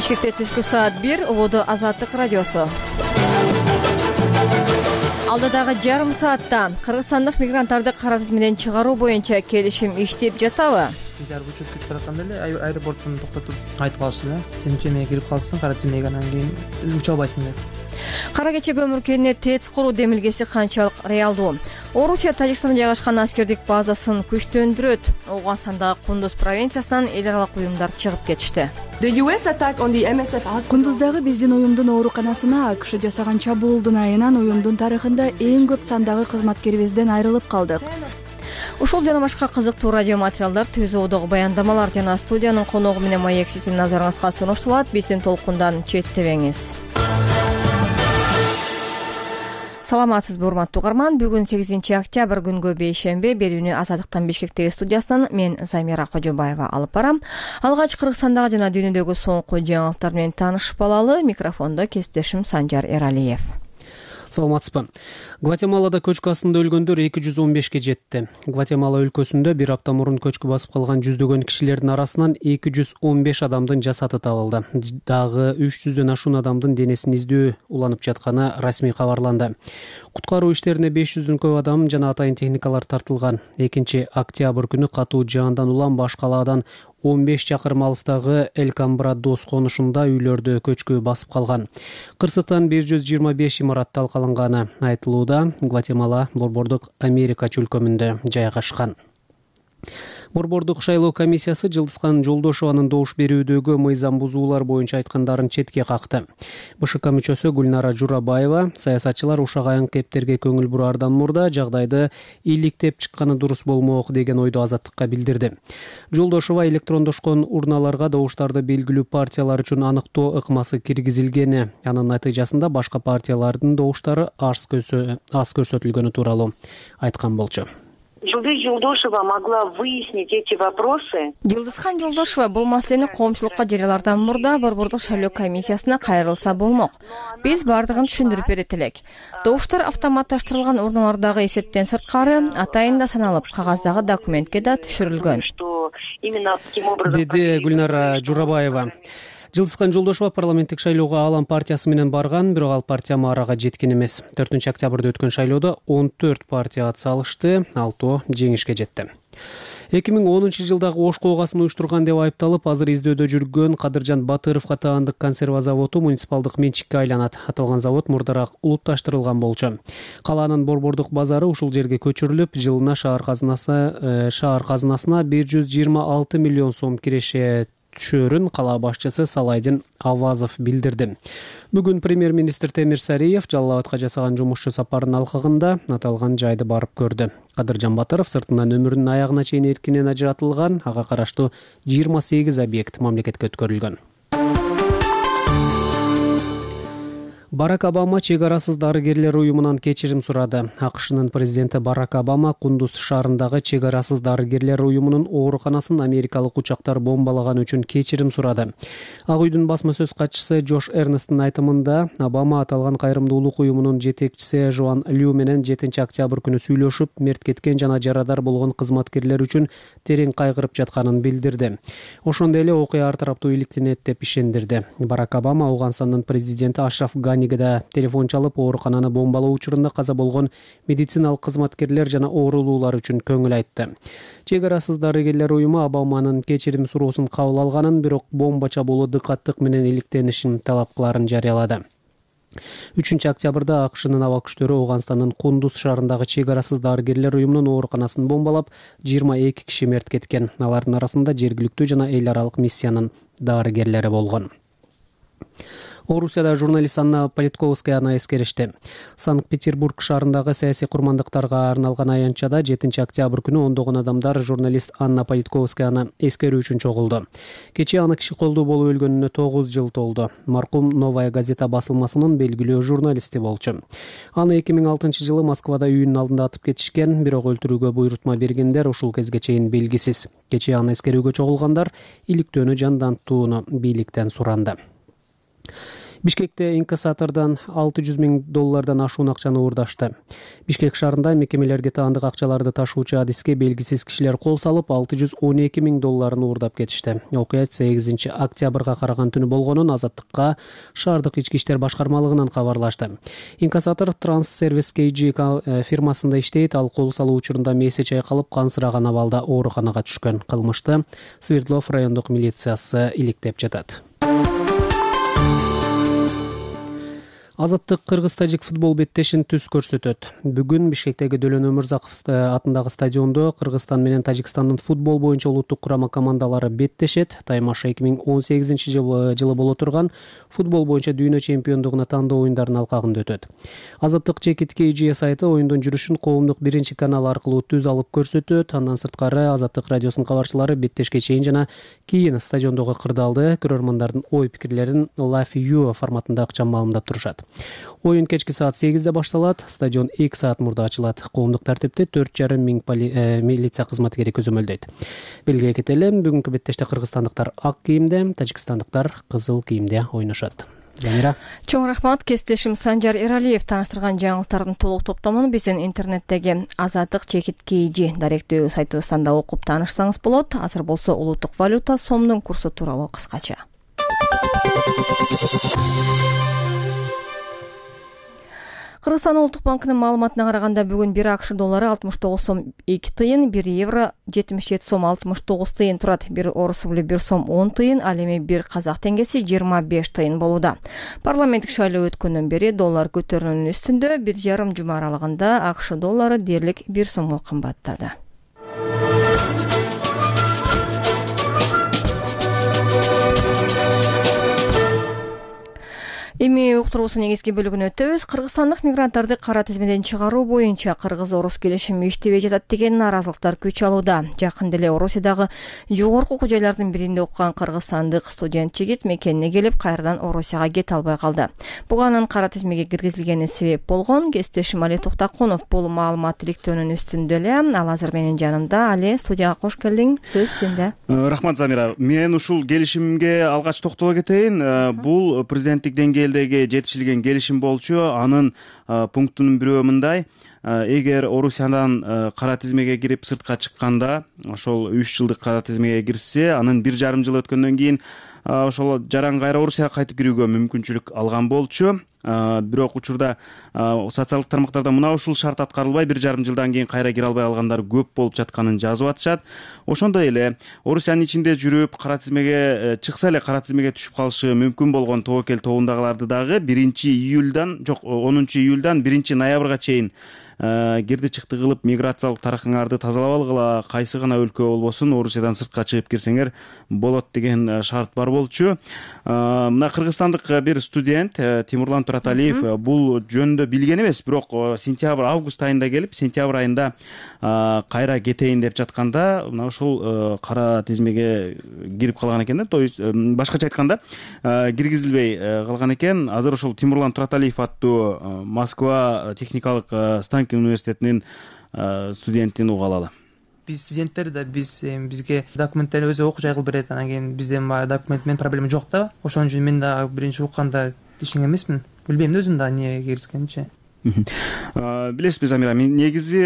Бишкекте түшкү саат 1, Улуу Азаттык радиосу. Алдыдагы жарым саатта кыргызстандык мигранттарды кара тизмеден чыгаруу боюнча келишим иштеп жатабы? Сентябрь учуп кетип баратканда эле аэропорттон токтотуп айтып калышты. Сен чемеге кирип калсаң, кара тизмеге анан кийин уча албайсың деп. Кара кече көмүркенine ТЭЦ куруу демилгеси канчалык реалдуу? Орусия Тажикстанда жайгашкан аскердик базасын күчтөндүрөт. Ооганстандагы Кундуз провинциясынан эл аралык уюмдар чыгып кетишти. Кундуздагы биздин уюмдун ооруканасына АКШ жасаган чабуулдун айынан уюмдун тарыхында эң көп сандагы кызматкерибизден айрылып калдык. Ушул жана башка кызыктуу радио материалдар, түз оодогу баяндамалар жана студиянын коногу менен маек сиздин назарыңызга сунуштулат. Биздин толкундан четтебеңиз. Саламатсызбы, урматтуу угарман. Бүгүн 8-октябрь күнгө бейшембе. Берүүнү Азаттыктан Бишкектеги студиясынан мен Замира Кожобаева алып барам. Алгач Кыргызстандагы жана дүйнөдөгү соңку жаңылыктар менен таанышып алалы. Микрофондо кесиптешим Санжар Эралиев. Саламатсызбы. Гватемалада көчкү астында өлгөндөр 215ке жетти. Гватемала өлкөсүндө бир апта мурун көчкү басып калган жүздөгөн кишилердин арасынан 215 адамдын жасаты табылды. Дагы 300дөн ашуун адамдын денесин издөө уланып жатканы расмий кабарланды. Куткаруу иштерине 500дөн көп адам жана атайын техникалар тартылган. 2-октябрь күнү катуу жаандан улам баш калаадан 15 чакырым алыстагы Эль-Камбрадос конушунда үйлөрдү көчкү басып калган. Кырсыктан 125 имарат талкаланганы айтылууда. Гватемала Борбордук Америка чөлкөмүндө жайгашкан. Борбордук шайлоо комиссиясы Жылдызкан Жолдошованын добуш берүүдөгү мыйзам бузуулар боюнча айткандарын четке какты. БШК мүчөсү Гүлнара Журабаева саясатчылар ушак аян кептерге көңүл бураардан мурда жагдайды иликтеп чыкканы дурус болмок деген ойду Азаттыкка билдирди. Жолдошова электрондошкон урналарга добуштарды белгилүү партиялар үчүн аныктоо ыкмасы киргизилгени, анын натыйжасында башка партиялардын добуштары аз көрсөтүлгөнү тууралуу айткан болчу. Жылдыз Жолдошова могла выяснить эти вопросы. Жылдызхан Жолдошова бул маселени коомчулукка жарыялардан мурда Борбордук шайлоо комиссиясына кайрылса болмок. Биз бардыгын түшүндүрүп берет элек. Добуштар автоматташтырылган урналардагы эсептен сырткары атайын да саналып, кагаздагы документке да түшүрүлгөн, деди Гүлнара Журабаева. Жылдызкан Жолдошова парламенттик шайлоого Алам партиясы менен барган, бирок ал партия маарага жеткен эмес. 4-октябрда өткөн шайлоодо 14 партия ат салышты, 6 жеңишке жетти. 2010-жылдагы Ошко оогасын уюштурган деп айыпталып, азыр издөөдө жүргөн Кадыржан Батыровго таандык консерва заводу муниципалдык менчикке айланат. Аталган завод мурдараак улутташтырылган болчу. Калаанын борбордук базары ушул жерге көчүрүлүп, жылына шаар казынасына 126 миллион сом киреше түшөрүн кала башчысы Салайдин Авазов билдирди. Бүгүн премьер-министр Темир Сариев Жалал Абадка жасаган жумушчу сапарынын алкагында аталган жайды барып көрдү. Кадыржан Батыров сыртынан өмүрүнүн аягына чейин эркинен ажыратылган, ага караштуу 28 объект мамлекетке өткөрүлгөн. Барак Обама чек арасыз дарыгерлер уюмунан кечирим сурады. АКШнын президенти Барак Обама Кундуз шаарындагы чек арасыз дарыгерлер уюмунун ооруканасын америкалык учактар бомбалаганы үчүн кечирим сурады. Ак үйдүн басма сөз катчысы Джош Эрнесттин айтымында, Обама аталган кайрымдуулук уюмунун жетекчиси Жоан Лю менен 7-октябрь күнү сүйлөшүп, мерт кеткен жана жарадар болгон кызматкерлер үчүн терең кайгырып жатканын билдирди. Ошондой эле окуя ар тараптуу иликтенет деп ишендирди. Барак Обама Ооганстандын президенти Ашраф Ганиге да телефон чалып, оорукананы бомбалоо учурунда каза болгон медициналык кызматкерлер жана оорулуулар үчүн көңүл айтты. Чек арасыз дарыгерлер уюму Обаманын кечирим суроосун кабыл алганын, бирок бомба чабуулу дыкаттык менен иликтенишин талап кыларын жарыялады. 3-октябрда АКШнын аба күчтөрү Ооганстандын Кундуз шаарындагы чек арасыз дарыгерлер уюмунун ооруканасын бомбалап, 22 киши мерт кеткен. Алардын арасында жергиликтүү жана эл аралык миссиянын дарыгерлери болгон. Орусияда журналист Анна Политковскаяны эскеришти. Санкт-Петербург шаарындагы саясий курмандыктарга арналган аянтчада 7-октябрь күнү ондогон адамдар журналист Анна Политковскаяны эскерүү үчүн чогулду. Кечээ аны киши колдуу болуп өлгөнүнө 9 жыл толду. Маркум Новая газета басылмасынын белгилүү журналисти болчу. Аны 2006-жылы Москвада үйүнүн алдында атып кетишкен, бирок өлтүрүүгө буйрутма бергендер ушул кезге чейин белгисиз. Кечээ аны эскерүүгө чогулгандар иликтөөнү жандантууну бийликтен суранды. Бишкекте инкассатордон $600,000 ашуун акчаны уурдашты. Бишкек шаарында мекемелерге таандык акчаларды ташуучу адиске белгисиз кишилер кол салып, $612,000 уурдап кетишти. Окуя 8 октябрга караган түнү болгонун Азаттыкка шаардык ички иштер башкармалыгынан кабарлашты. Инкассатор Транссервис KG фирмасында иштейт. Ал кол салуу учурунда мээси чайкалып, кансыраган абалда ооруканага түшкөн. Кылмышты Свердлов райондук милициясы иликтеп жатат. Азаттык кыргыз-тажик футбол беттешин түз көрсөтөт. Бүгүн Бишкектеги Дөлөн Өмүрзаков атындагы стадиондо Кыргызстан менен Тажикстандын футбол боюнча улуттук курама командалары беттешет. Таймаша 2018-жылы боло турган футбол боюнча дүйнө чемпиондугуна тандоо оюндарынын алкагында өтөт. Азаттык Чекит KG сайты оюндун жүрүшүн коомдук биринчи канал аркылуу түз алып көрсөтөт. Андан сырткары Азаттык радиосунун кабарчылары беттешке чейин жана кийин стадиондогу кырдаалды көрөрмандардын ой пикирлерин Live View форматында ыкчам маалымдап турушат. Оюн кечки саат 8-де башталат. Стадион 2 саат мурда ачылат. Коомдук тартипте 4,5 миң милиция кызматкери көзөмөлдөйт. Белгилей кетели, бүгүнкү беттеште кыргызстандыктар ак кийимде, тажикстандыктар кызыл кийимде ойношот. Замира. Чоң рахмат. Кесиптешим Санжар Эралиев тааныштырган жаңылыктардын толук топтомун биздин интернеттеги Азаттык Чекит KG даректүү сайтыбыздан да окуп таанышсаңыз болот. Азыр болсо улуттук валюта сомдун курсу тууралуу кыскача. Кыргызстан улуттук банкынын маалыматына караганда бүгүн 1 АКШ доллары 69 сом 2 тыйын, 1 евро 77 сом 69 тыйын турат, 1 орус рубль 1 сом 10 тыйын, ал эми 1 казак теңгеси 25 тыйын болууда. Парламенттик шайлоо өткөндөн бери доллар көтөрүүнүн үстүндө, 1,5 жума аралыгында АКШ доллары дээрлик 1 сомго кымбаттады. Эми уктуруусунун негизги бөлүгүнө өтөбүз. Кыргызстандык мигранттарды кара тизмеден чыгаруу боюнча кыргыз-орус келишими иштебей жатат деген нааразылыктар күч алууда. Жакында эле Орусиядагы жогорку окуу жайлардын биринде окуган кыргызстандык студент жигит мекенине келип, кайрадан Орусияга кете албай калды. Буга анын кара тизмеге киргизилгени себеп болгон. Кесиптешим Али Токтакунов бул маалымат иликтөөнүн үстүндө эле. Ал азыр менин жанымда. Али, студияга кош келдиң. Сөз сенде. Рахмат, Замира. Мен ушул келишимге алгач токтоло кетейин. Бул президенттик деңгээлдеги жетишилген келишим болчу. Анын пунктунун бирөө мындай: эгер Орусиядан кара тизмеге кирип сыртка чыкканда, ошол 3 жылдык кара тизмеге кирсе, анын 1,5 жыл өткөндөн кийин ошол жаран кайра Орусияга кайтып кирүүгө мүмкүнчүлүк алган болчу. Бирок учурда социалдык тармактарда мына ушул шарт аткарылбай 1,5 жылдан кийин кайра кире албай калгандар көп болуп жатканын жазып атышат. Ошондой эле Орусиянын ичинде жүрүп кара тизмеге чыкса эле кара тизмеге түшүп калышы мүмкүн болгон тобокел тобундагыларды дагы 10 июлдан 1 ноябрга чейин кирди чыкты кылып миграциялык тарыхыңарды тазалап алгыла, кайсы гана өлкө болбосун Орусиядан сыртка чыгып кирсеңер болот деген шарт бар болчу. Мына кыргызстандык бир студент Тимурлан Тураталиев бул жөнүндө билген эмес, бирок август айында келип, сентябрь айында кайра кетейин деп жатканда, мына ушул кара тизмеге кирип калган экен да. То есть башкача айтканда, киргизилбей калган экен. Азыр ошол Тимурлан Тураталиев аттуу Москва техникалык Станкин университетинин студентин уга алалы. Биз студенттер да бизге документтерди өзү окуу жай кылып берет. Анан кийин бизден документ менен проблема жок да. Ошон үчүн мен да биринчи укканда ишенген эмесмин. Билбейм өзүм да эмне киргизгенчи. Билесизби, Замира, негизи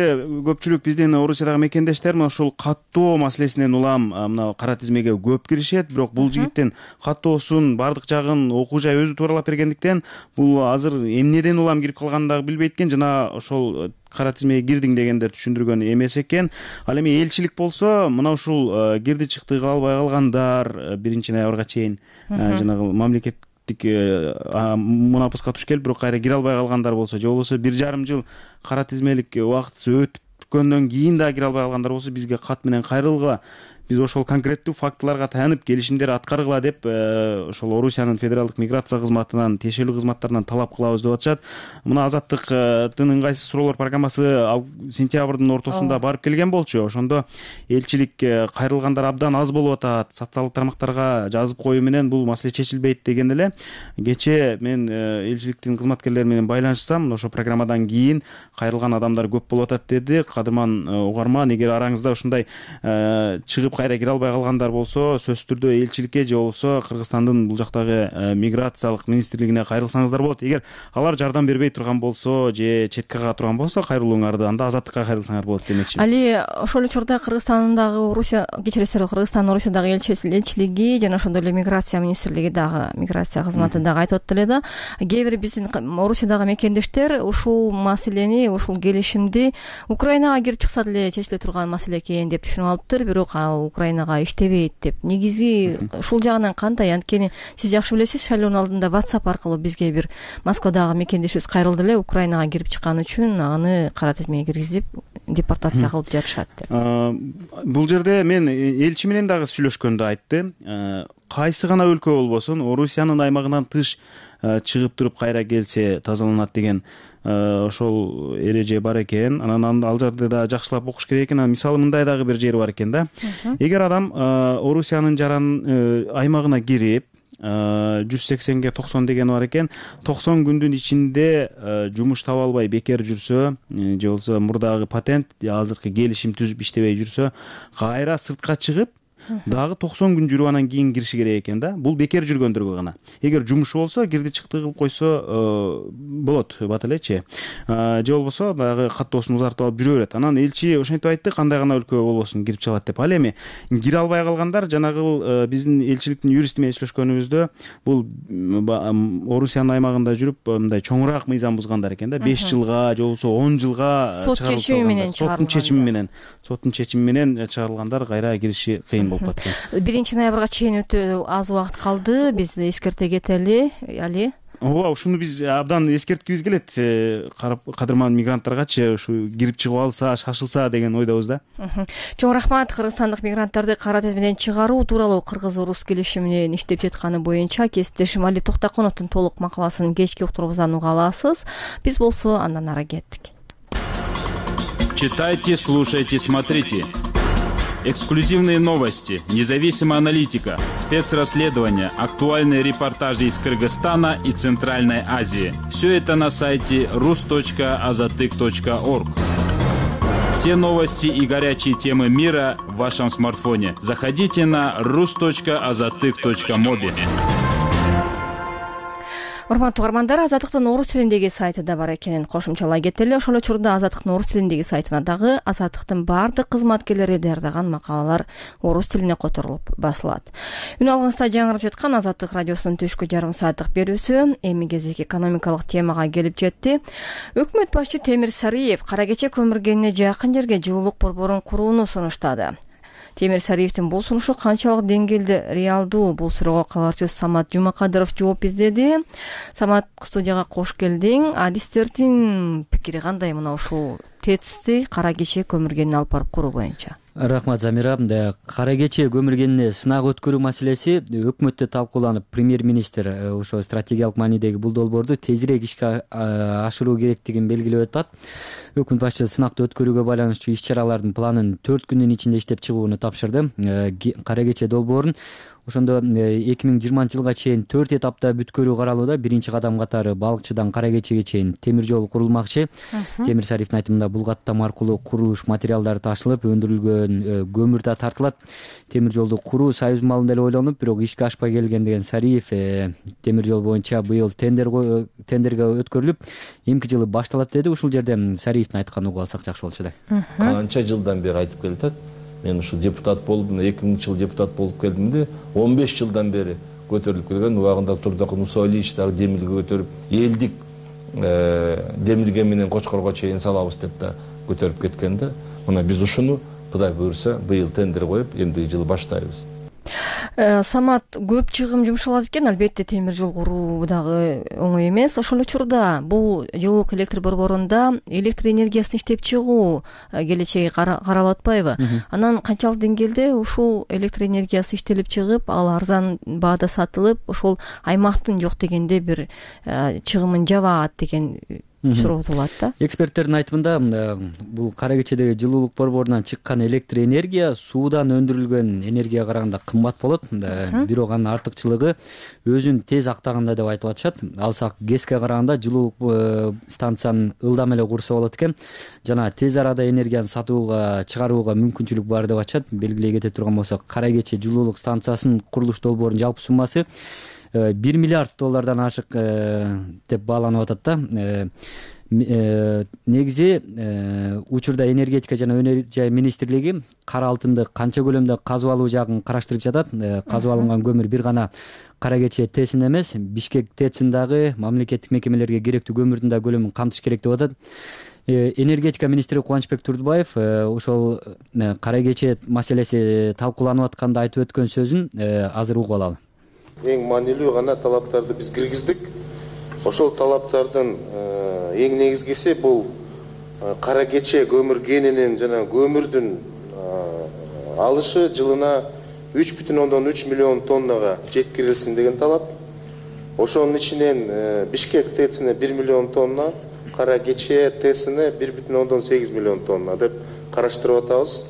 көпчүлүк биздин Орусиядагы мекендештер ушул каттоо маселесинен улам мына кара тизмеге көп киришет. Бирок бул жигиттин каттоосун бардык жагын окуу жай өзү тууралап бергендиктен бул азыр эмнеден улам кирип калганын дагы билбейт экен. Жана ошол кара тизмеге кирдиң дегендер түшүндүргөн эмес экен. Ал эми элчилик болсо мына ушул кирди чыкты кыла албай калгандар 1 ноябрга чейин жанагы мамлекет мунапыска туш келип, бирок кайра кире албай калгандар болсо, же болбосо 1,5 жыл кара тизмелик убактысы өткөндөн кийин да кире албай калгандар болсо, бизге кат менен кайрылгыла. Биз ошол конкреттүү фактыларга таянып келишимдер аткаргыла деп ошол Орусиянын федералдык миграция кызматынан, тиешелүү кызматтарынан талап кылабыз деп атышат. Мына Азаттыктын ыңгайсыз суроолор программасы сентябрдын ортосунда барып келген болчу. Ошондо элчилик кайрылгандар абдан аз болуп атат, социалдык тармактарга жазып коюу менен бул маселе чечилбейт деген эле. Кечээ мен элчиликтин кызматкерлери менен байланышсам, ошо программадан кийин кайрылган адамдар көп болуп атат деди. Кадырман угарман, эгер араңызда ушундай чыгып кайра кире албай калгандар болсо сөзсүз түрдө элчиликке же болбосо Кыргызстандын бул жактагы миграциялык министрлигине кайрылсаңыздар болот. Эгер алар жардам бербей турган болсо же четке кага турган болсо кайрылууңарды анда азаттыкка кайрылсаңар болот демекчи. Али ошол учурда Кыргызстандагы Орусия, кечиресиз, Кыргызстандын Орусиядагы элчилиги жана ошондой эле миграция министрлиги дагы, миграция кызматы дагы айтып атты эле да, кээ бир биздин Орусиядагы мекендештер ушул маселени, ушул келишимди Украинага кирип чыкса деле чечиле турган маселе экен деп түшүнүп алыптыр, бирок ал Украинага иштебейт деп. Негизи ушул жагынан кандай? Анткени сиз жакшы билесиз, шайлоонун алдында WhatsApp аркылуу бизге бир Москвадагы мекендешибиз кайрылды эле, Украинага кирип чыккан үчүн аны кара тизмеге киргизип депортация кылып жатышат деп. Бул жерде мен элчи менен дагы сүйлөшкөндө айтты. Кайсы гана өлкө болбосун, Орусиянын аймагынан тыш чыгып туруп кайра келсе тазаланат деген ошол эреже бар экен. Анан ал жерде да жакшылап окуш керек экен. Мисалы мындай дагы бир жери бар экен да. Эгер адам Орусиянын аймагына кирип 180ге 90 деген бар экен, 90 күндүн ичинде жумуш таба албай бекер жүрсө же болбосо мурдагы патент азыркы келишим түзүп иштебей жүрсө, кайра сыртка чыгып дагы 90 күн жүрүп анан кийин кириши керек экен да. Бул бекер жүргөндөргө гана. Эгер жумушу болсо, кирди чыкты кылып койсо болот, бат элечи. Же болбосо баягы каттоосун узартып алып жүрө берет. Анан элчи ошентип айтты, кандай гана өлкө болбосун кирип чыгат деп. Ал эми кире албай калгандар жанагы биздин элчиликтин юристи менен сүйлөшкөнүбүздө бул Орусиянын аймагында жүрүп мындай чоңураак мыйзам бузгандар экен да. 5 жылга же болбосо 10 жылга сот чечими менен чыгарылган. Соттун чечими менен чыгарылгандар кайра кириши кыйын болуп калат экен. 1-ноябрга чейин өтө аз убакыт калды. Биз эскерте кетели, Али. Ооба, ушуну биз абдан эскерткибиз келет. Кадырман мигранттаргачы ушу кирип чыгып алса, шашылса деген ойдобуз да. Чоң рахмат. Кыргызстандык мигранттарды кара тизмеден чыгаруу тууралуу кыргыз-орус келишиминин иштеп жатканы боюнча кесиптешим Али Токтоконовдун толук макаласын кечки уктурубуздан уга аласыз. Биз болсо андан ары кеттик. Читайте, слушайте, смотрите. Эксклюзивные новости, независимая аналитика, спецрасследования, актуальные репортажи из Кыргызстана и Центральной Азии. Все это на сайте rus.azatyk.org. Все новости и горячие темы мира в вашем смартфоне. Заходите на rus.azatyk.mobi. Урматтуу угармандар, Азаттыктын орус тилиндеги сайты да бар экенин кошумчалай кетели. Ошол учурда Азаттыктын орус тилиндеги сайтына дагы Азаттыктын бардык кызматкерлери даярдаган макалалар орус тилине которулуп басылат. Үн алгыңызда жаңырып жаткан Азаттык радиосунун түшкү жарым сааттык берүүсү эми кезек экономикалык темага келип жетти. Өкмөт башчы Темир Сариев кара кече көмүргенине жакын жерге жылуулук борборун курууну сунуштады. Темир Сариевдин бул сунушу канчалык деңгээлде реалдуу? Бул суроого кабарчыбыз Самат Жумакадыров жооп издеди. Самат, студияга кош келдиң. Адистердин пикири кандай мына ушул ТЭЦти кара кече көмүргенин алып барып куруу боюнча? Рахмат, Замира. Кара кече көмүргенине сынак өткөрүү маселеси өкмөттө талкууланып, премьер-министр ошо стратегиялык маанидеги бул долбоорду тезирээк ишке ашыруу керектигин белгилеп атат. Өкмөт башчысы сынакты өткөрүүгө байланыштуу иш-чаралардын планын 4 күндүн ичинде иштеп чыгууну тапшырды. Кара кече долбоорун ошондо 2020 жылга чейин 4 этапта бүткөрүү каралууда. Биринчи кадам катары балыкчыдан кара кечеге чейин темир жол курулмакчы. Темир Сариевдин айтымында бул каттам аркылуу курулуш материалдары ташылып, өндүрүлгөн көмүр да тартылат. Темир жолду куруу союз маалында эле ойлонуп, бирок ишке ашпай келген деген Сариев темир жол боюнча быйыл тендерге өткөрүлүп, эмки жылы башталат деди. Ушул жерде Сариевдин айтканын угуп алсак жакшы болчу да. Канча жылдан бери айтып келатат. Мен ушу депутат болдум, 2000 жыл депутат болуп келдимде, 15 жылдан бери көтөрүлүп келген. Убагында Турдак Мусалиевич дагы демилге көтөрүп, элдик демилге менен Кочкорго чейин салабыз деп да көтөрүп кеткен да. Мына биз ушуну Кудай буйрса быйыл тендер коюп, эмдиги жылы баштайбыз. Самат, көп чыгым жумшалат экен. Албетте темир жол куруу дагы оңой эмес. Ошол учурда бул жылуулук электр борборунда электр энергиясын иштеп чыгуу келечеги каралып атпайбы? Анан канчалык деңгээлде ушул электр энергиясы иштелип чыгып, ал арзан баада сатылып, ошол аймактын жок дегенде бир чыгымын жабат деген суротулат да. Эксперттердин айтымында бул кара кечедеги жылуулук борборунан чыккан электр энергия суудан өндүрүлгөн энергияга караганда кымбат болот, бирок анын артыкчылыгы өзүн тез актаганда деп айтып атышат. Алсак ГЭСке караганда жылуулук станцияны ылдам эле курса болот экен жана тез арада энергияны сатууга чыгарууга мүмкүнчүлүк бар деп атышат. Белгилей кете турган болсок, кара кече жылуулук станциясынын курулуш долбоорунун жалпы суммасы $1 миллиард ашык деп бааланып атат да. Негизи учурда энергетика жана өнөр жай министрлиги кара алтынды канча көлөмдө казып алуу жагын караштырып жатат. Казып алынган көмүр бир гана кара кече ТЭЦин эмес, Бишкек ТЭЦин дагы мамлекеттик мекемелерге керектүү көмүрдүн да көлөмүн камтыш керек деп атат. Энергетика министри Кубанычбек Турдубаев ошол кара кече маселеси талкууланып атканда айтып өткөн сөзүн азыр угуп алалы. Эң маанилүү гана талаптарды биз киргиздик. Ошол талаптардын эң негизгиси бул кара кече көмүр кенинин жана көмүрдүн алышы жылына 3,3 миллион тоннага жеткирилсин деген талап. Ошонун ичинен Бишкек ТЭЦине 1 миллион тонна, кара кече ТЭЦине 1,8 миллион тонна деп караштырып атабыз.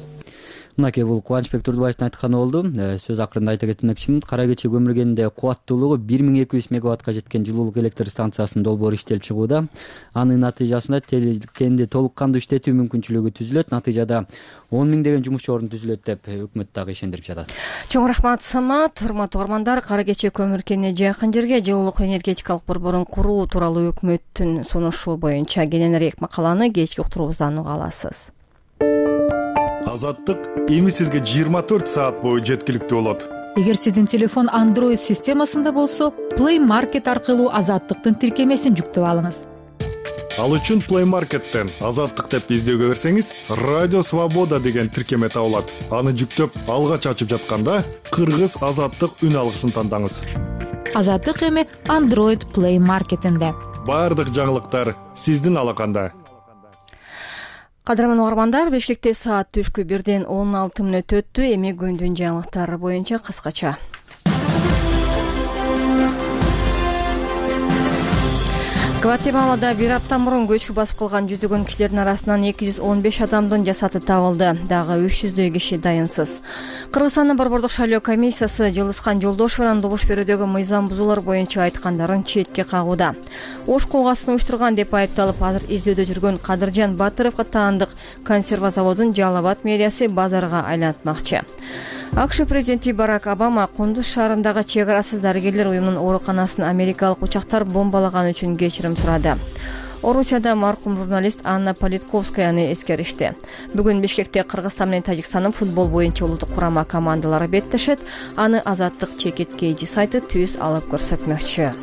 Мынакей бул Кубанычбек Турдубаевдин айтканы болду. Сөз акырында айта кетмекчимин. Кара кече көмүр кенинде кубаттуулугу 1200 мегаваттка жеткен жылуулук электр станциясынын долбоору иштелип чыгууда. Анын натыйжасында кенди толук кандуу иштетүү мүмкүнчүлүгү түзүлөт. Натыйжада 10 миңдеген жумушчу орун түзүлөт деп өкмөт дагы ишендирип жатат. Чоң рахмат Самат. Урматтуу угармандар, кара кече көмүр кенине жакын жерге жылуулук энергетикалык борборун куруу тууралуу өкмөттүн сунушу боюнча кененирээк макаланы кечки уктуруубуздан уга аласыз. Азаттык эми сизге 24 саат бою жеткиликтүү болот. Эгер сиздин телефон Android системасында болсо, Play Market аркылуу Азаттыктын тиркемесин жүктөп алыңыз. Ал үчүн Play Market'тен Азаттык деп издөөгө берсеңиз, Радио Свобода деген тиркеме табылат. Аны жүктөп, алгач ачып жатканда Кыргыз Азаттык үн алгысын тандаңыз. Азаттык эми Android Play Market'инде. Бардык жаңылыктар сиздин алаканда. Кадырман угармандар, Бишкекте саат түшкү 1-ден 16 мүнөт өттү. Эми күндүн жаңылыктары боюнча кыскача. Гватемалада бир апта мурун көчкү басып калган жүздөгөн кишилердин арасынан 215 адамдын жасаты табылды. Дагы 300дөй киши дайынсыз. Кыргызстандын борбордук шайлоо комиссиясы Жылыскан Жолдошеванын добуш берүүдөгү мыйзам бузуулар боюнча айткандарын четке кагууда. Ош куугасын уюштурган деп айыпталып, азыр издөөдө жүргөн Кадыржан Батыровго таандык консерва заводун Жалал Абад мэриясы базарга айлантмакчы. АКШ президенти Барак Обама Кундуз шаарындагы чек арасыз дарыгерлер уюмунун ооруканасын америкалык учактар бомбалаган үчүн кечирим сурады. Орусияда маркум журналист Анна Политковскаяны эскеришти. Бүгүн Бишкекте Кыргызстан менен Тажикстандын футбол боюнча улуттук курама командалары беттешет. Аны Азаттык чекиткейжи сайты түз алып көрсөтмөкчү.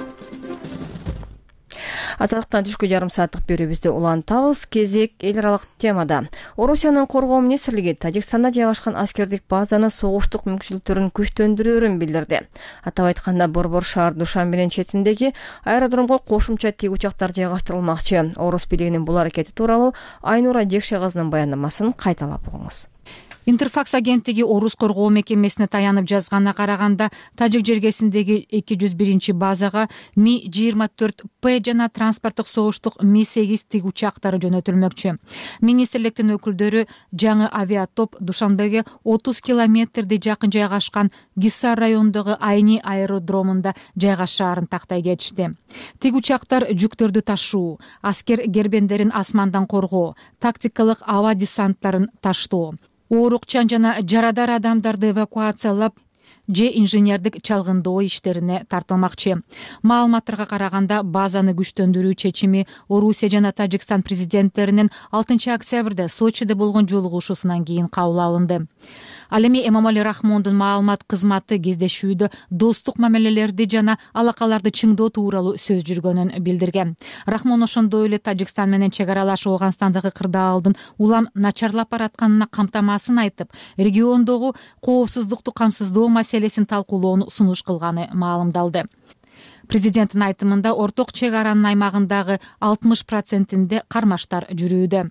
Азаттыктан түшкү жарым сааттык берүүбүздү улантабыз. Кезек эл аралык темада. Орусиянын коргоо министрлиги Тажикстанда жайгашкан аскердик базаны согуштук мүмкүнчүлүктөрүн күчтөндүрөөрүн билдирди. Атап айтканда, Борбор шаар Душанбенин четиндеги аэродромго кошумча тик учактар жайгаштырылмакчы. Орус бийлигинин бул аракети тууралуу Айнура Жекше кызынын баяндамасын кайталап угуңуз. Интерфакс агенттиги Орус коргоо мекемесине таянып жазганына караганда, Тажик жергесиндеги 201 базага Ми-24П жана транспорттук согуштук Ми-8 тик учактары жөнөтүлмөкчү. Министрликтин өкүлдөрү жаңы авиатоп Душанбеге 30 километрди жакын жайгашкан Гиссар районундагы Айни аэродромунда жайгашаарын тактай кетишти. Тик учактар жүктөрдү ташуу, аскер гербендерин асмандан коргоо, тактикалык аба десанттарын таштоо, оорукчан жана жарадар адамдарды эвакуациялап же инженердик чалгындоо иштерине тартылмакчы. Маалыматтарга караганда, базаны күчтөндүрүү чечими Орусия жана Тажикстан президенттеринин 6 октябрда Сочиде болгон жолугушуусунан кийин кабыл алынды. Ал эми Эмомали Рахмондун маалымат кызматы кездешүүдө достук мамилелерди жана алакаларды чыңдоо тууралуу сөз жүргөнүн билдирген. Рахмон ошондой эле Тажикстан менен чек аралаш Ооганстандагы кырдаалдын улам начарлап баратканына камтамасын айтып, региондогу коопсуздукту камсыздоо маселесин талкуулоону сунуш кылганы маалымдалды. Президенттин айтымында, орток чек аранын аймагындагы 60%-inde кармаштар жүрүүдө.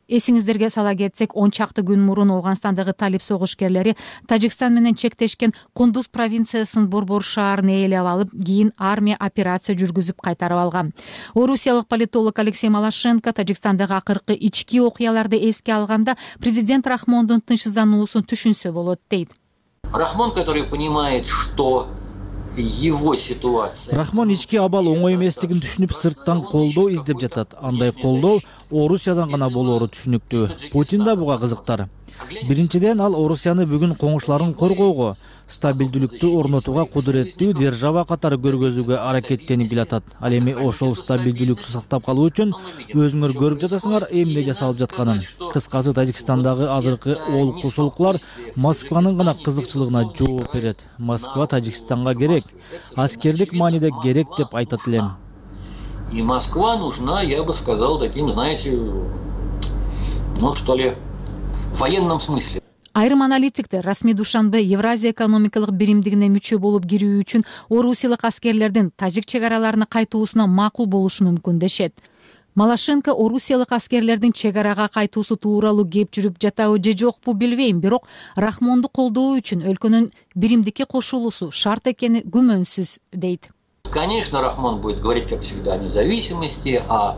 Эсиңиздерге сала кетсек, 10 чакты күн мурун Ооганстандагы талип согушкерлери Тажикстан менен чектешкен Кундуз провинциясынын Борбор шаарын ээлеп алып, кийин армия операция жүргүзүп кайтарып алган. Орусиялык политолог Алексей Малашенко Тажикстандагы акыркы ички окуяларды эске алганда президент Рахмондун тынчсыздануусун түшүнсө болот дейт. Рахмон, который понимает, что его ситуация. Рахмон ички абал оңой эместигин түшүнүп, сырттан колдоо издеп жатат. Андай колдоо Орусиядан гана болоору түшүнүктүү. Путин да буга кызыктар. Биринчиден, ал Орусияны бүгүн коңшуларын коргоого, стабилдүүлүктү орнотууга кудуреттүү держава катары көргөзүүгө аракеттенип келатат. Ал эми ошол стабилдүүлүктү сактап калуу үчүн өзүңөр көрүп жатасыңар эмне жасалып жатканын. Кыскасы, Тажикстандагы азыркы олку-солкулар Москванын гана кызыкчылыгына жооп берет. Москва Тажикстанга керек, аскердик мааниде керек деп айтат элем. И Москва нужна, я бы сказал, таким, знаете, ну что ли, в военном смысле. Айрым аналитиктер расмий Душанбе Евразия экономикалык биримдигине мүчө болуп кирүү үчүн орусиялык аскерлердин тажик чек араларына кайтуусуна макул болушу мүмкүн дешет. Малашенко орусиялык аскерлердин чек арага кайтуусу тууралуу кеп жүрүп жатабы же жокпу билбейм, бирок Рахмонду колдоо үчүн өлкөнүн биримдикке кошулуусу шарт экени күмөнсүз дейт. Конечно, Рахмон будет говорить, как всегда, о независимости, о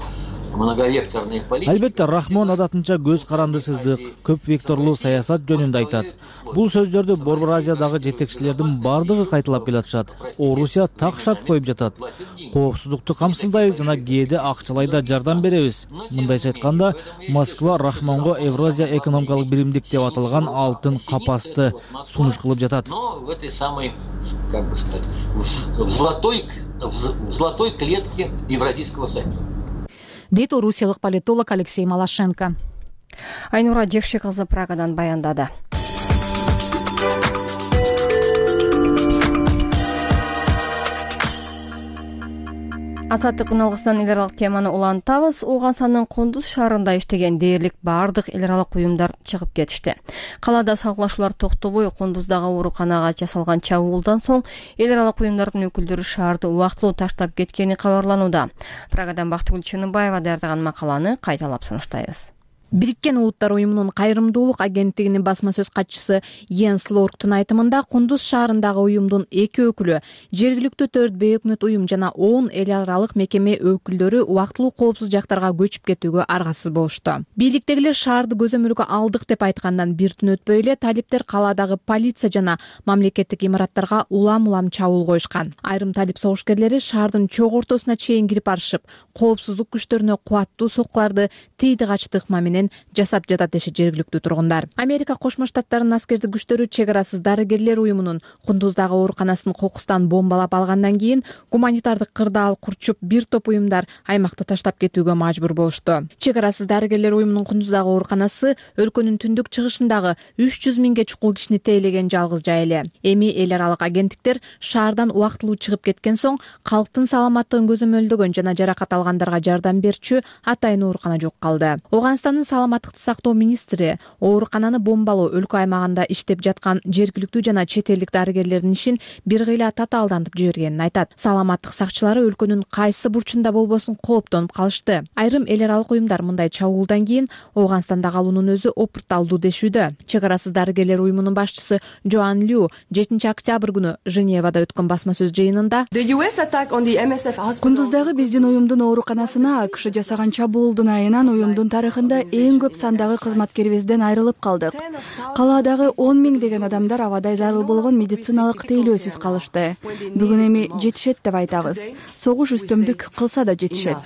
многовекторной политике. Албетте, Рахмон адатынча көз карандысыздык, көп векторлуу саясат жөнүндө айтат. Бул сөздөрдү Борбор Азиядагы жетекчилердин бардыгы кайталап келатышат. Орусия так шарт коюп жатат. Коопсуздукту камсыздайбыз жана кээде акчалай да жардам беребиз. Мындайча айтканда, Москва Рахмонго Евразия экономикалык биримдик деп аталган алтын капасты сунуш кылып жатат. Но в этой самой, как бы сказать, в золотой клетке Евразийского союза. Дейт орусиялык политолог Алексей Малашенко. Айнура Жекши кызы Прагадан баяндады. Азаттык үналгысынан эл аралык теманы улантабыз. Ооганстандын Кундуз шаарында иштеген дээрлик бардык эл аралык уюмдар чыгып кетишти. Калаада салгылашуулар токтобой, Кундуздагы ооруканага жасалган чабуулдан соң эл аралык уюмдардын өкүлдөрү шаарды убактылуу таштап кеткени кабарланууда. Прагадан Бактыгүл Чыныбаева даярдаган макаланы кайталап сунуштайбыз. Бириккен Улуттар уюмунун кайрымдуулук агенттигинин басма сөз катчысы Йенс Лорктун айтымында, Кундуз шаарындагы уюмдун 2 өкүлү, жергиликтүү 4 бейөкмөт уюм жана 10 эл аралык мекеме өкүлдөрү убактылуу коопсуз жактарга көчүп кетүүгө аргасыз болушту. Бийликтегилер шаарды көзөмөлгө алдык деп айткандан бир түн өтпөй эле талиптер калаадагы полиция жана мамлекеттик имараттарга улам чабуул коюшкан. Айрым талип согушкерлери шаардын чок ортосуна чейин кирип барышып, коопсуздук күчтөрүнө кубаттуу соккуларды тийди качты ыкма менен жасап жатат дешет жергиликтүү тургундар. Америка Кошмо Штаттарынын аскердик күчтөрү чек арасыз дарыгерлер уюмунун Кундуздагы ооруканасын кокустан бомбалап алгандан кийин гуманитардык кырдаал курчуп, бир топ уюмдар аймакты таштап кетүүгө мажбур болушту. Чек арасыз дарыгерлер уюмунун Кундуздагы ооруканасы өлкөнүн түндүк чыгышындагы 300 миңге чукул кишини тейлеген жалгыз жай эле. Эми эл аралык агенттиктер шаардан убактылуу чыгып кеткен соң калктын саламаттыгын көзөмөлдөгөн жана жаракат алгандарга жардам берчү атайын оорукана жок калды. Ооганстандын саламаттыкты сактоо министри оорукананы бомбалоо өлкө аймагында иштеп жаткан жергиликтүү жана чет элдик дарыгерлердин ишин бир кыйла татаалдантып жибергенин айтат. Саламаттык сакчылары өлкөнүн кайсы бурчунда болбосун кооптонуп калышты. Айрым эл аралык уюмдар мындай чабуулдан кийин Ооганстанда калуунун өзү опурталдуу дешүүдө. Чек арасыз дарыгерлер уюмунун башчысы Джоан Лю 7 октябрь күнү Женевада өткөн басма сөз жыйынында Кундуздагы биздин уюмдун ооруканасына АКШ жасаган чабуулдун айынан уюмдун тарыхында эң көп сандагы кызматкерибизден айрылып калдык. Калаадагы 10 миң деген адамдар абадай зарыл болгон медициналык тейлөөсүз калышты. Бүгүн эми жетишет деп айтабыз. Согуш үстөмдүк кылса да жетишет.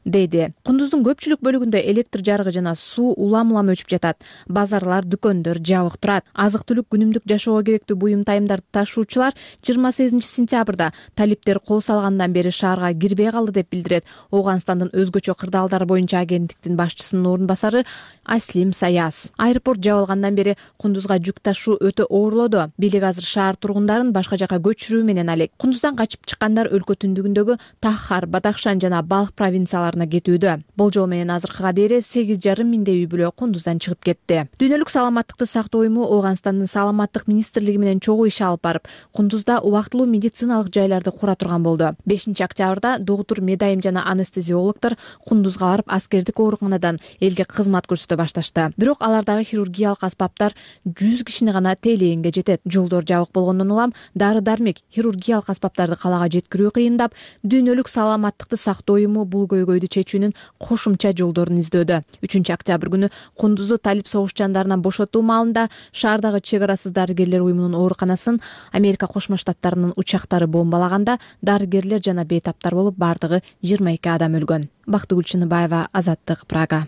Дейди. Кундуздун көпчүлүк бөлүгүндө электр жарыгы жана суу улам өчүп жатат. Базарлар, дүкөндөр жабык турат. Азык-түлүк, күнүмдүк жашоого керектүү буюм тайымдарды ташуучулар 28 сентябрда талиптер кол салгандан бери шаарга кирбей калды деп билдирет Ооганстандын өзгөчө кырдаалдар боюнча агенттиктин башчысынын орун басары Аслим Саяс. Аэропорт жабылгандан бери Кундузга жүк ташуу өтө оорлоду. Бийлик азыр шаар тургундарын башка жака көчүрүү менен алек. Кундуздан качып чыккандар өлкө түндүгүндөгү Тахар, Бадахшан жана Балх провинцияларына жайларына кетүүдө. Болжол менен азыркыга дейин 8,5 миңдей үй бүлө Кундуздан чыгып кетти. Дүйнөлүк саламаттыкты сактоо уюму Ооганстандын саламаттык министрлиги менен чогуу иш алып барып, Кундузда убактылуу медициналык жайларды кура турган болду. 5-октябрда доктур, медайым жана анестезиологдор Кундузга барып аскердик ооруканадан элге кызмат көрсөтө башташты. Бирок алардагы хирургиялык аспаптар 100 кишини гана тейлегенге жетет. Жолдор жабык болгондон улам дары-дармек, хирургиялык аспаптарды калаага жеткирүү кыйындап, дүйнөлүк саламаттыкты сактоо уюму бул көйгөйдү чечүүнүн кошумча жолдорун издөдө. 3-октябрь күнү Кундузду талип согуш-жандарынан бошотуу маалында шаардагы чек арасыз дарыгерлер уюмунун ооруканасын Америка Кошмо Штаттарынын учактары бомбалаганда дарыгерлер жана бейтаптар болуп бардыгы 22 адам өлгөн. Бактыгүл Чыныбаева, Азаттык, Прага.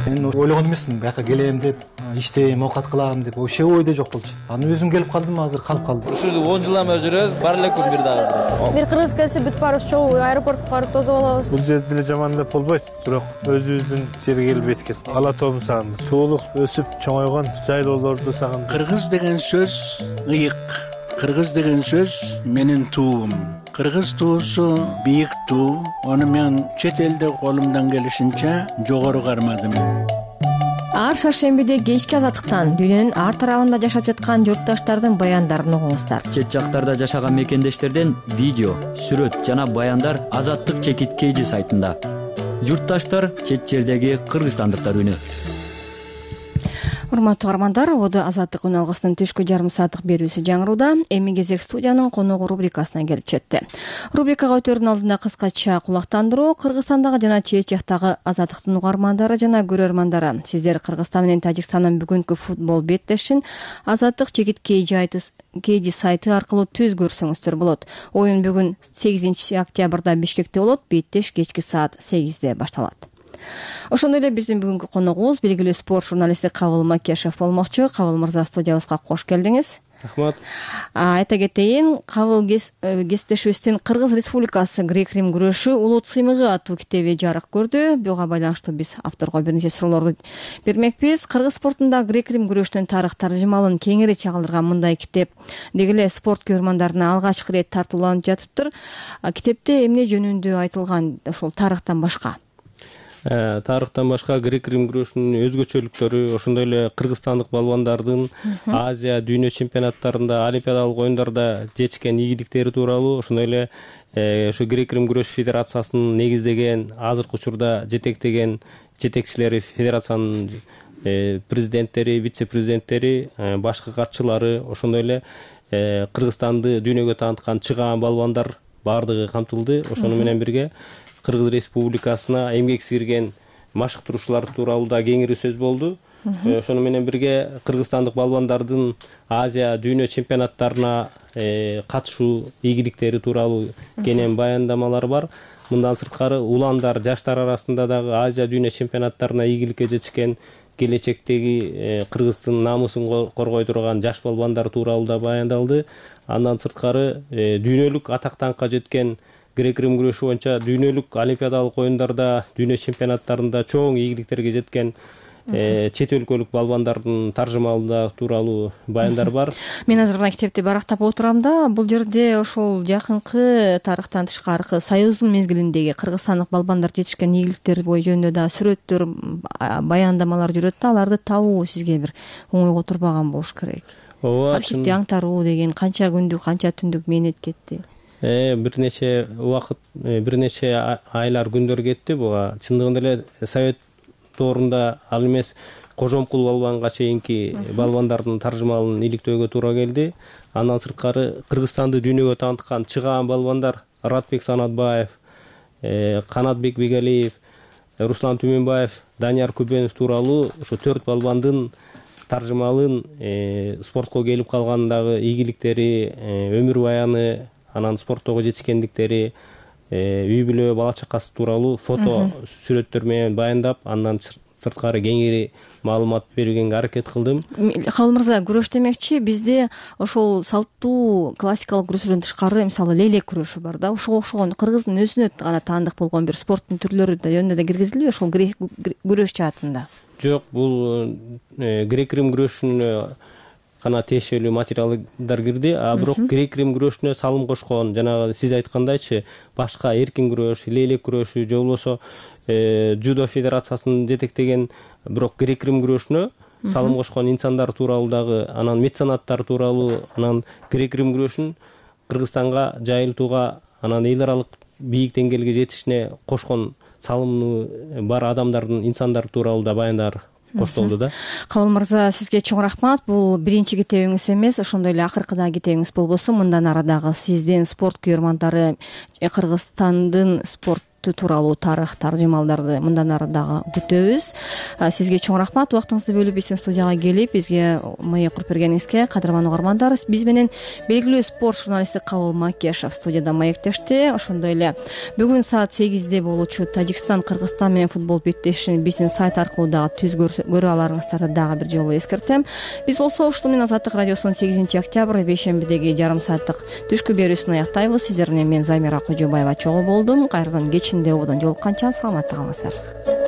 Мен ойлогон эмесмин бияка келем деп, иштейм, оокат кылам деп, вообще ойдо жок болчу. Аны өзүм келип калдым, азыр калып калдым. Ушу 10 жылдан бери жүрөбүз, бар эле күн бир дагы. Бир кыргыз келсе бүт баарыбыз чогуу аэропортко барып тосуп алабыз. Бул жерде деле жаман деп болбойт, бирок өзүбүздүн жерге келип эткет. Ала тоом сагындым. Туулук, өсүп чоңойгон жайлоолорду сагындым. Кыргыз деген сөз ыйык. Кыргыз деген сөз менин туум. Кыргыз туусу бийик туу. Аны мен чет элде колумдан келишинче жогору кармадым. Ар шаршембиде кечки азаттыктан дүйнөнүн ар тарабында жашап жаткан журтташтардын баяндарын угуңуздар. Чет жактарда жашаган мекендештерден видео, сүрөт жана баяндар Азаттык чекит KG сайтында. Журтташтар чет жердеги кыргызстандыктар үнү. Урматтуу угармандар, Оду Азаттык үн алгысынын түшкү жарым сааттык берүүсү жаңырууда. Эми кезек студиянын коногу рубрикасына келип жетти. Рубрикага өтөрдүн алдында кыскача кулактандыруу. Кыргызстандагы жана чет жактагы Азаттыктын угармандары жана көрөрмандары, сиздер Кыргызстан менен Тажикстандын бүгүнкү футбол беттешин Азаттык чекит KG сайты аркылуу түз көрсөңүздөр болот. Оюн бүгүн 8-октябрда Бишкекте болот. Беттеш кечки саат 8-де башталат. Ошондой эле биздин бүгүнкү коногубуз белгилүү спорт журналисти Кабыл Макешев болмокчу. Кабыл мырза, студиябызга кош келдиңиз. Рахмат. Айта кетейин, Кабыл кесиптешибиздин Кыргыз Республикасы грек-рим күрөшү улут сыймыгы аттуу китеби жарык көрдү. Буга байланыштуу биз авторго бир нече суроолорду бермекпиз. Кыргыз спортунда грек-рим күрөшүнүн тарых таржымалын кеңири чагылдырган мындай китеп деги эле спорт көрөрмандарына алгачкы ирет тартууланып жатыптыр. Китепте эмне жөнүндө айтылган, ошол тарыхтан башка? Тарыхтан башка грек-рим күрөшүнүн өзгөчөлүктөрү, ошондой эле кыргызстандык балбандардын Азия, дүйнө чемпионаттарында, олимпиадалык оюндарда жетишкен ийгиликтери тууралуу, ошондой эле ошо грек-рим күрөш федерациясынын негиздеген, азыркы учурда жетектеген жетекчилери, федерациянын президенттери, вице-президенттери, башкы катчылары, ошондой эле Кыргызстанды дүйнөгө тааныткан чыгаан балбандар баардыгы камтылды. Ошону менен бирге Кыргыз Республикасына эмгек сиңирген машыктыруучулар тууралуу да кеңири сөз болду. Ошону менен бирге кыргызстандык балбандардын Азия, дүйнө чемпионаттарына катышуу ийгиликтери тууралуу кенен баяндамалар бар. Мындан сырткары уландар, жаштар арасында дагы Азия, дүйнө чемпионаттарына ийгиликке жетишкен, келечектеги Кыргыздын намысын коргой турган жаш балбандар тууралуу да баяндалды. Андан сырткары дүйнөлүк атактанка жеткен грек-рим күрөшү боюнча дүйнөлүк олимпиадалык оюндарда, дүйнө чемпионаттарында чоң ийгиликтерге жеткен чет өлкөлүк балбандардын таржымалында тууралуу баяндар бар. Мен азыр мына китепти барактап отурам да, бул жерде ошол жакынкы тарыхтан тышкаркы Союздун мезгилиндеги кыргызстандык балбандар жетишкен ийгиликтер жөнүндө да сүрөттөр, баяндамалар жүрөт да, аларды табуу сизге бир оңойго турбаган болуш керек. Архивди аңтаруу деген канча күндүк, канча түндүк мээнет кетти? Бир нече убакыт, бир нече айлар, күндөр кетти. Буга чындыгында эле Совет доорунда ал эмес Кожомкул балбанга чейинки балбандардын таржымалын иликтөөгө туура келди. Андан сырткары Кыргызстанды дүйнөгө тааныткан чыгаан балбандар Радбек Санатбаев, Канатбек Бегалиев, Руслан Түмөнбаев, Данияр Күбөнов тууралуу ошо 4 балбандын таржымалын спортко келип калгандагы ийгиликтери, өмүр баяны, анан спорттогу жетишкендиктери, үй бүлө, бала чакасы тууралуу фото сүрөттөр менен баяндап, андан сырткары кеңири маалымат бергенге аракет кылдым. Кабыл мырза, күрөш демекчи бизде ошол салттуу классикалык күрөштөрдөн тышкары мисалы лейлек күрөшү бар да, ошого окшогон кыргыздын өзүнө гана таандык болгон бир спорттун түрлөрү жөнүндө да киргизилби ошол күрөш жаатында? Жок, бул грек-рим күрөшүнө гана тиешелүү материалдар кирди, а бирок грек рим күрөшүнө салым кошкон, жанагы сиз айткандайчы башка эркин күрөш, лейлек күрөшү же болбосо Judo федерациясынын жетектеген бирок грек рим күрөшүнө салым кошкон инсандар тууралуу дагы, анан меценаттар тууралуу, анан грек рим күрөшүн Кыргызстанга жайылтууга, анан эл аралык бийик деңгээлге жетишине кошкон салымы бар адамдардын, инсандар тууралуу да баяндар коштолду да. Кабыл мырза, сизге чоң рахмат. Бул биринчи китебиңиз эмес, ошондой эле акыркыдагы китебиңиз болбосо, мындан ары дагы сиздин спорт күйөрмандары Кыргызстандын спорт тууралуу тарых таржымалдарды мындан ары дагы күтөбүз. Сизге чоң рахмат, убактыңызды бөлүп биздин студияга келип бизге маек куруп бергениңизге. Кадырман угармандар, биз менен белгилүү спорт журналисти Кабыл Макешов студияда маектешти. Ошондой эле бүгүн саат 8-де болуучу Тажикстан Кыргызстан менен футбол беттешин биздин сайт аркылуу дагы түз көрө аларыңыздарды дагы бир жолу эскертем. Биз болсо ушул менен Азаттык радиосунун 8-октябрь бейшембидеги жарым сааттык түшкү берүүсүн аяктайбыз. Сиздер менен мен Замира Кожобаева чогуу болдум. Кайрадан кечинде ободон жолукканча саламатта калыңыздар.